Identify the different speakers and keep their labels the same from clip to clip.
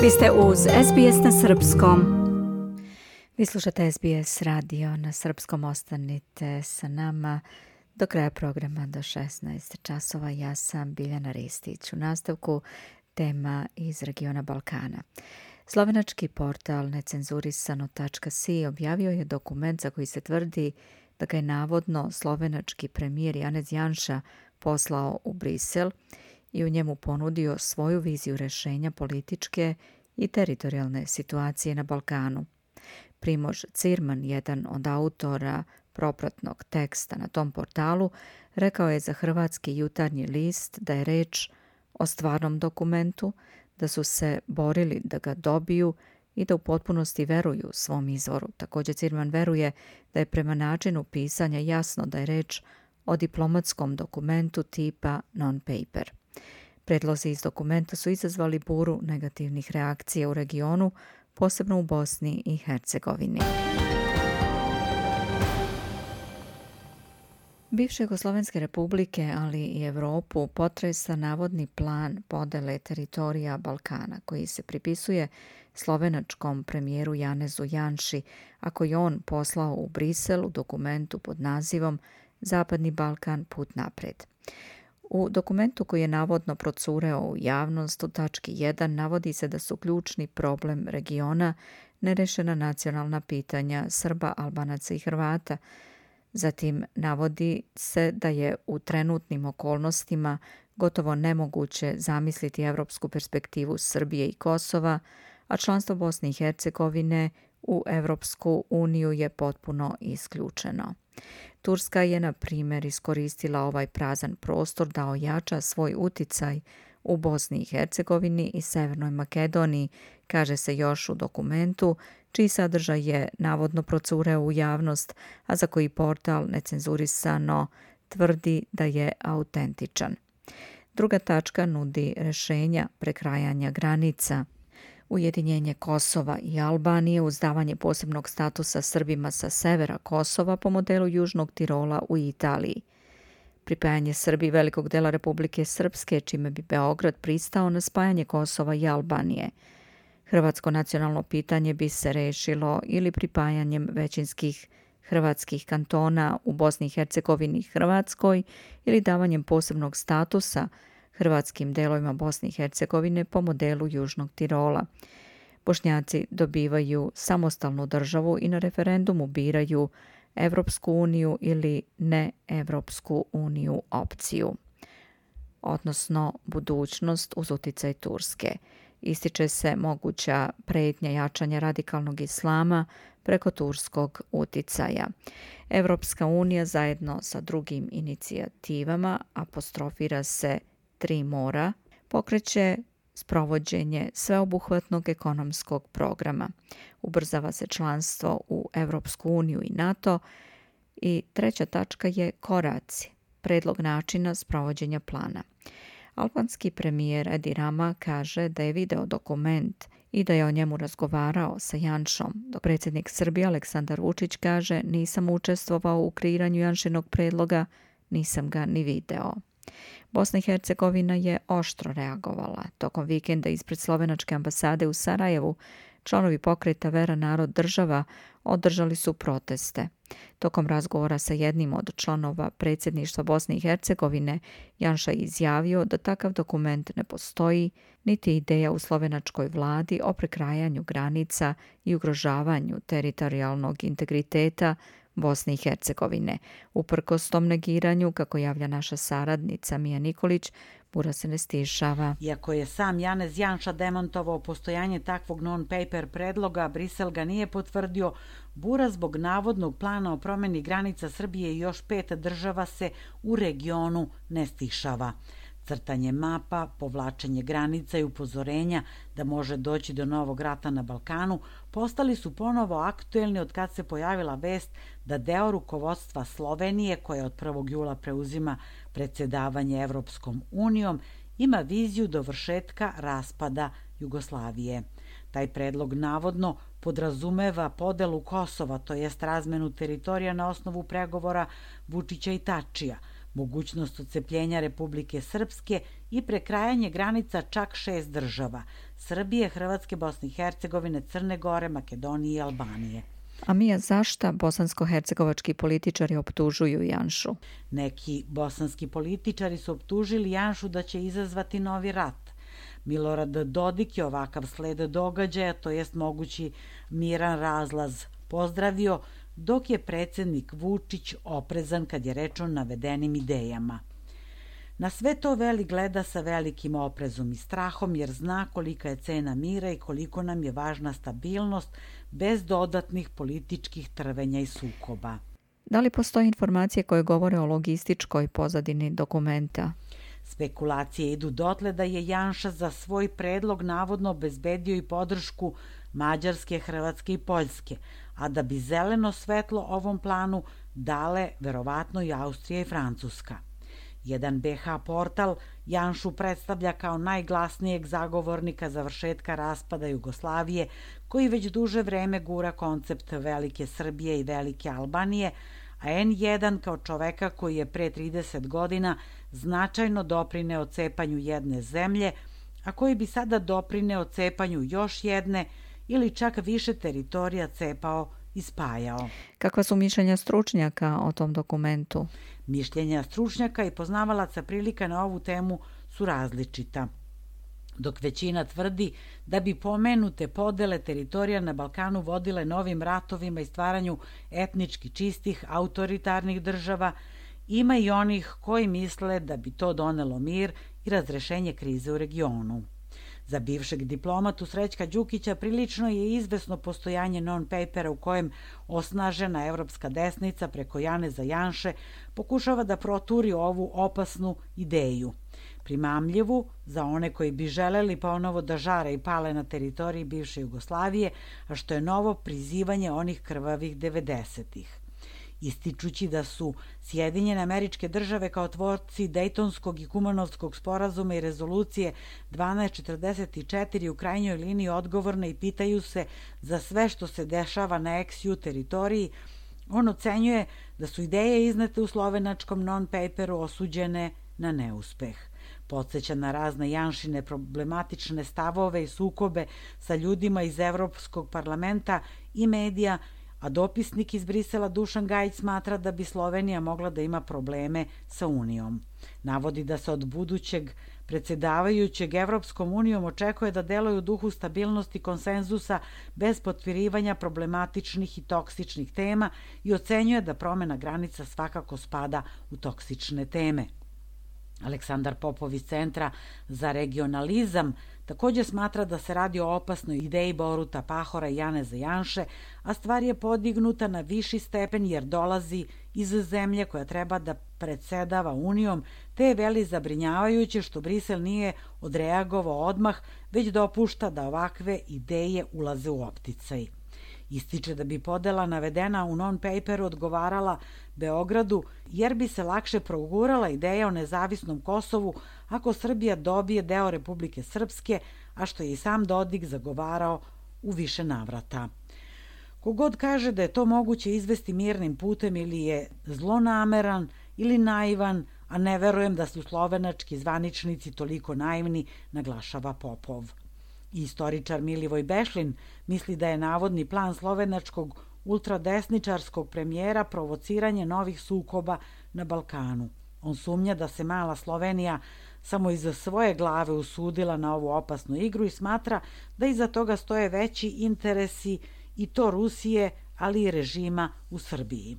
Speaker 1: Vi ste uz SBS na srpskom. Vi slušate SBS radio na srpskom. Ostanite sa nama do kraja programa do 16 časova. Ja sam Biljana Ristić. U nastavku tema iz regiona Balkana. Slovenački portal necenzurisano.si objavio je dokument za koji se tvrdi da ga je navodno slovenački premijer Janez Janša poslao u Brisel i u njemu ponudio svoju viziju rješenja političke i teritorijalne situacije na Balkanu. Primož Cirman, jedan od autora propratnog teksta na tom portalu, rekao je za hrvatski Jutarnji list da je reč o stvarnom dokumentu, da su se borili da ga dobiju i da u potpunosti veruju svom izvoru. Također Cirman veruje da je prema načinu pisanja jasno da je reč o diplomatskom dokumentu tipa non-paper. Predlozi iz dokumenta su izazvali buru negativnih reakcija u regionu, posebno u Bosni i Hercegovini. Bivše Jugoslovenske republike, ali i Europu potresa navodni plan podele teritorija Balkana, koji se pripisuje slovenačkom premijeru Janezu Janši, a koji on poslao u Brisel u dokumentu pod nazivom Zapadni Balkan put napred. U dokumentu koji je navodno procureo u javnost u tački 1 navodi se da su ključni problem regiona nerešena nacionalna pitanja Srba, Albanaca i Hrvata. Zatim navodi se da je u trenutnim okolnostima gotovo nemoguće zamisliti evropsku perspektivu Srbije i Kosova, a članstvo Bosne i Hercegovine u Evropsku uniju je potpuno isključeno. Turska je, na primjer, iskoristila ovaj prazan prostor da ojača svoj uticaj u Bosni i Hercegovini i Severnoj Makedoniji, kaže se još u dokumentu, čiji sadržaj je navodno procureo u javnost, a za koji portal necenzurisano tvrdi da je autentičan. Druga tačka nudi rješenja prekrajanja granica, ujedinjenje Kosova i Albanije uz davanje posebnog statusa Srbima sa severa Kosova po modelu Južnog Tirola u Italiji. Pripajanje Srbiji velikog dela Republike Srpske, čime bi Beograd pristao na spajanje Kosova i Albanije. Hrvatsko nacionalno pitanje bi se rešilo ili pripajanjem većinskih hrvatskih kantona u Bosni i Hercegovini i Hrvatskoj ili davanjem posebnog statusa hrvatskim delovima Bosne i Hercegovine po modelu Južnog Tirola. Bošnjaci dobivaju samostalnu državu i na referendumu biraju Evropsku uniju ili ne Evropsku uniju opciju, odnosno budućnost uz uticaj Turske. Ističe se moguća prijetnja jačanja radikalnog islama preko turskog uticaja. Evropska unija zajedno sa drugim inicijativama, apostrofira se Tri mora, pokreće sprovođenje sveobuhvatnog ekonomskog programa. Ubrzava se članstvo u Evropsku uniju i NATO. I treća tačka je koraci, predlog načina sprovođenja plana. Albanski premijer Edi Rama kaže da je video dokument i da je o njemu razgovarao sa Janšom, dok predsjednik Srbije Aleksandar Vučić kaže nisam učestvovao u kreiranju Janšinog predloga, nisam ga ni video. Bosna i Hercegovina je oštro reagovala. Tokom vikenda ispred slovenačke ambasade u Sarajevu članovi pokreta Vera narod država održali su proteste. Tokom razgovora sa jednim od članova predsjedništva Bosne i Hercegovine, Janša je izjavio da takav dokument ne postoji, niti ideja u slovenačkoj vladi o prekrajanju granica i ugrožavanju teritorijalnog integriteta Bosne i Hercegovine. Uprkos tom negiranju, kako javlja naša saradnica Mija Nikolić, bura se ne stišava.
Speaker 2: Iako je sam Janez Janša demontovao postojanje takvog non-paper predloga, Brisel ga nije potvrdio, bura zbog navodnog plana o promjeni granica Srbije i još 5 država se u regionu ne stišava. Crtanje mapa, povlačenje granica i upozorenja da može doći do novog rata na Balkanu postali su ponovo aktuelni od kad se pojavila vest da deo rukovodstva Slovenije, koja od 1. jula preuzima predsjedavanje Evropskom unijom, ima viziju dovršetka raspada Jugoslavije. Taj predlog navodno podrazumeva podelu Kosova, to jest razmenu teritorija na osnovu pregovora Vučića i Tačija. mogućnost odcepljenja Republike Srpske i prekrajanje granica čak 6 država: Srbije, Hrvatske, Bosne i Hercegovine, Crne Gore, Makedonije i Albanije.
Speaker 1: A Mija, zašta bosansko-hercegovački političari optužuju Janšu?
Speaker 2: Neki bosanski političari su optužili Janšu da će izazvati novi rat. Milorad Dodik je ovakav sled događaja, to jest mogući miran razlaz, pozdravio, dok je predsjednik Vučić oprezan kad je reč o navedenim idejama. Na sve to Veli gleda sa velikim oprezom i strahom, jer zna kolika je cena mira i koliko nam je važna stabilnost bez dodatnih političkih trvenja i sukoba.
Speaker 1: Da li postoje informacije koje govore o logističkoj pozadini dokumenta?
Speaker 2: Spekulacije idu dotle da je Janša za svoj predlog navodno obezbedio i podršku Mađarske, Hrvatske i Poljske, a da bi zeleno svetlo ovom planu dale verovatno i Austrija i Francuska. Jedan BH portal Janšu predstavlja kao najglasnijeg zagovornika završetka raspada Jugoslavije, koji već duže vreme gura koncept Velike Srbije i Velike Albanije, a N1 kao čoveka koji je pre 30 godina značajno doprineo cepanju jedne zemlje, a koji bi sada doprineo cepanju još jedne ili čak više teritorija cepao i spajao.
Speaker 1: Kakva su mišljenja stručnjaka o tom dokumentu?
Speaker 2: Mišljenja stručnjaka i poznavalaca prilika na ovu temu su različita. Dok većina tvrdi da bi pomenute podele teritorija na Balkanu vodile novim ratovima i stvaranju etnički čistih autoritarnih država, ima i onih koji misle da bi to donelo mir i razrešenje krize u regionu. Za bivšeg diplomatu Srećka Đukića prilično je izvesno postojanje non-papera u kojem osnažena evropska desnica preko Janeza Janše pokušava da proturi ovu opasnu ideju. Primamljivu za one koji bi želeli ponovo da žare i pale na teritoriji bivše Jugoslavije, a što je novo prizivanje onih krvavih 90-ih. Ističući da su Sjedinjene Američke Države kao tvorci Dejtonskog i Kumanovskog sporazuma i rezolucije 1244 u krajnjoj liniji odgovorne i pitaju se za sve što se dešava na ex-ju teritoriji, on ocenjuje da su ideje iznete u slovenačkom non-paperu osuđene na neuspeh. Podsjeća na razne Janšine problematične stavove i sukobe sa ljudima iz Evropskog parlamenta i medija, a dopisnik iz Brisela Dušan Gajić smatra da bi Slovenija mogla da ima probleme sa Unijom. Navodi da se od budućeg predsjedavajućeg Evropskom unijom očekuje da deluje u duhu stabilnosti konsenzusa bez potpirivanja problematičnih i toksičnih tema i ocenjuje da promena granica svakako spada u toksične teme. Aleksandar Popov iz Centra za regionalizam također smatra da se radi o opasnoj ideji Boruta Pahora i Janeza Janše, a stvar je podignuta na viši stepen jer dolazi iz zemlje koja treba da predsedava Unijom, te je veli zabrinjavajuće što Brisel nije odreagovao odmah, već dopušta da ovakve ideje ulaze u opticaj. Ističe da bi podela navedena u non-paperu odgovarala Beogradu, jer bi se lakše progurala ideja o nezavisnom Kosovu ako Srbija dobije deo Republike Srpske, a što je i sam Dodik zagovarao u više navrata. Kogod kaže da je to moguće izvesti mirnim putem ili je zlonameran ili naivan, a ne verujem da su slovenački zvaničnici toliko naivni, naglašava Popov. Istoričar Milivoj Bešlin misli da je navodni plan slovenačkog ultradesničarskog premijera provociranje novih sukoba na Balkanu. On sumnja da se mala Slovenija samo iza svoje glave usudila na ovu opasnu igru i smatra da iza toga stoje veći interesi i to Rusije, ali i režima u Srbiji.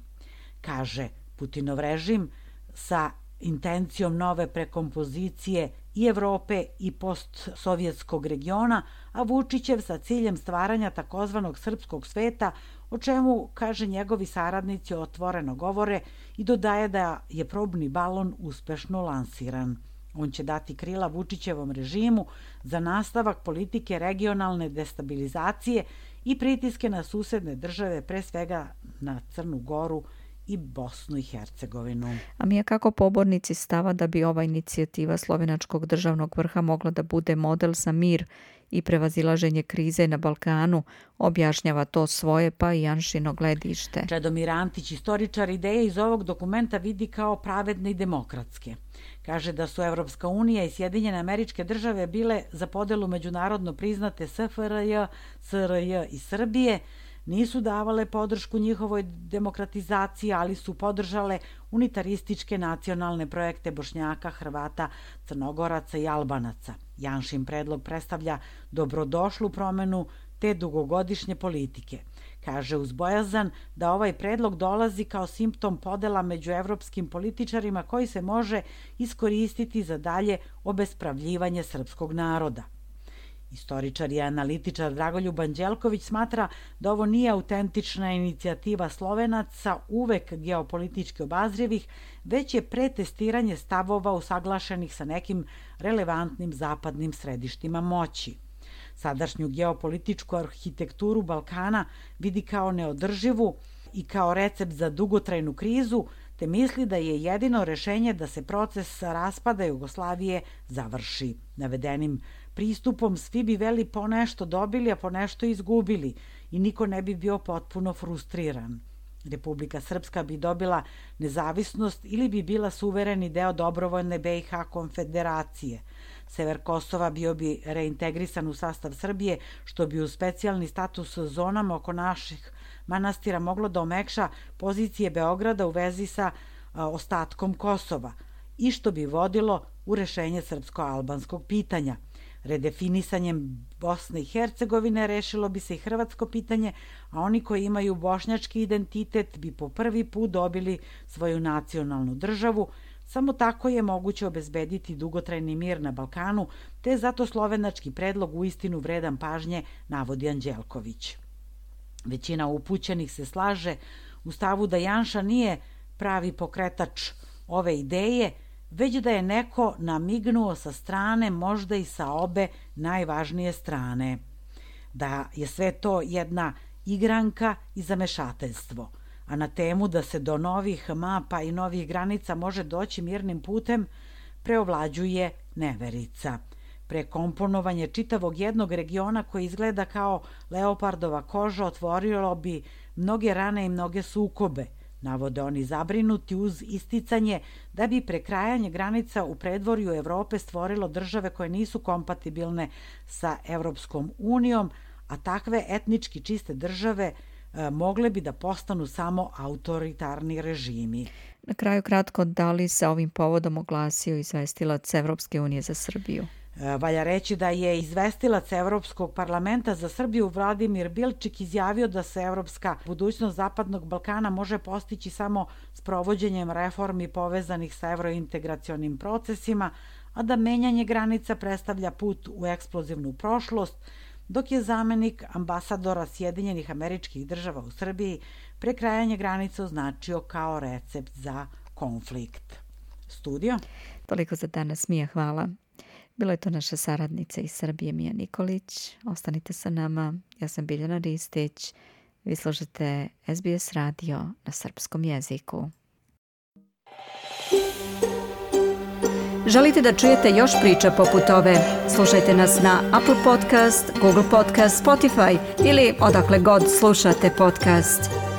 Speaker 2: Kaže, Putinov režim sa intencijom nove prekompozicije i Evrope i postsovjetskog regiona, a Vučićev sa ciljem stvaranja takozvanog srpskog sveta, o čemu, kaže, njegovi saradnici otvoreno govore i dodaje da je probni balon uspešno lansiran. On će dati krila Vučićevom režimu za nastavak politike regionalne destabilizacije i pritiske na susedne države, pre svega na Crnu Goru i Bosnu i Hercegovinu.
Speaker 1: A Mija, kako pobornici stava da bi ova inicijativa slovenačkog državnog vrha mogla da bude model za mir i prevazilaženje krize na Balkanu, objašnjava to svoje pa i Janšino gledište.
Speaker 2: Čedomir Antić, istoričar, ideje iz ovog dokumenta vidi kao pravedne i demokratske. Kaže da su Evropska unija i Sjedinjene Američke Države bile za podelu međunarodno priznate SFRJ, SRJ i Srbije, nisu davale podršku njihovoj demokratizaciji, ali su podržale unitarističke nacionalne projekte Bošnjaka, Hrvata, Crnogoraca i Albanaca. Janšin predlog predstavlja dobrodošlu promenu te dugogodišnje politike. Kaže uz bojazan da ovaj predlog dolazi kao simptom podela među evropskim političarima koji se može iskoristiti za dalje obespravljivanje srpskog naroda. Istoričar i analitičar Dragoljub Anđelković smatra da ovo nije autentična inicijativa Slovenaca, uvek geopolitički obazrivih, već je pretestiranje stavova usaglašenih sa nekim relevantnim zapadnim središtima moći. Sadašnju geopolitičku arhitekturu Balkana vidi kao neodrživu i kao recept za dugotrajnu krizu, te misli da je jedino rešenje da se proces raspada Jugoslavije završi. Navedenim pristupom svi bi veli ponešto dobili, a ponešto izgubili i niko ne bi bio potpuno frustriran. Republika Srpska bi dobila nezavisnost ili bi bila suvereni deo dobrovoljne BiH konfederacije. Sever Kosova bio bi reintegrisan u sastav Srbije, što bi uz specijalni status zonama oko naših manastira moglo da omekša pozicije Beograda u vezi sa ostatkom Kosova i što bi vodilo u rešenje srpsko-albanskog pitanja. Redefinisanjem Bosne i Hercegovine rešilo bi se i hrvatsko pitanje, a oni koji imaju bošnjački identitet bi po prvi put dobili svoju nacionalnu državu. Samo tako je moguće obezbediti dugotrajni mir na Balkanu, te je zato slovenački predlog uistinu vredan pažnje, navodi Anđelković. Većina upućenih se slaže u stavu da Janša nije pravi pokretač ove ideje, već da je neko namignuo sa strane, možda i sa obe najvažnije strane. Da je sve to jedna igranka i zamešateljstvo. A na temu da se do novih mapa i novih granica može doći mirnim putem, preovlađuje neverica. Prekomponovanje čitavog jednog regiona koji izgleda kao leopardova koža otvorilo bi mnoge rane i mnoge sukobe, navode oni zabrinuti uz isticanje da bi prekrajanje granica u predvorju Evrope stvorilo države koje nisu kompatibilne sa Evropskom unijom, a takve etnički čiste države mogle bi da postanu samo autoritarni režimi.
Speaker 1: Na kraju kratko, da li se ovim povodom oglasio izvestilac Evropske unije za Srbiju?
Speaker 2: Valja reći da je izvestilac Evropskog parlamenta za Srbiju Vladimir Bilčik izjavio da se evropska budućnost Zapadnog Balkana može postići samo s provođenjem reformi povezanih sa evrointegracionim procesima, a da menjanje granica predstavlja put u eksplozivnu prošlost, dok je zamenik ambasadora Sjedinjenih Američkih Država u Srbiji prekrajanje granica označio kao recept za konflikt. Studio?
Speaker 1: Toliko za danas, Mija, hvala. Bila je to naša saradnica iz Srbije, Mija Nikolić. Ostanite sa nama. Ja sam Biljana Ristić. Vi slušate SBS radio na srpskom jeziku. Želite da čujete još priča poput ove? Slušajte nas na Apple Podcast, Google Podcast, Spotify ili odakle god slušate podcast.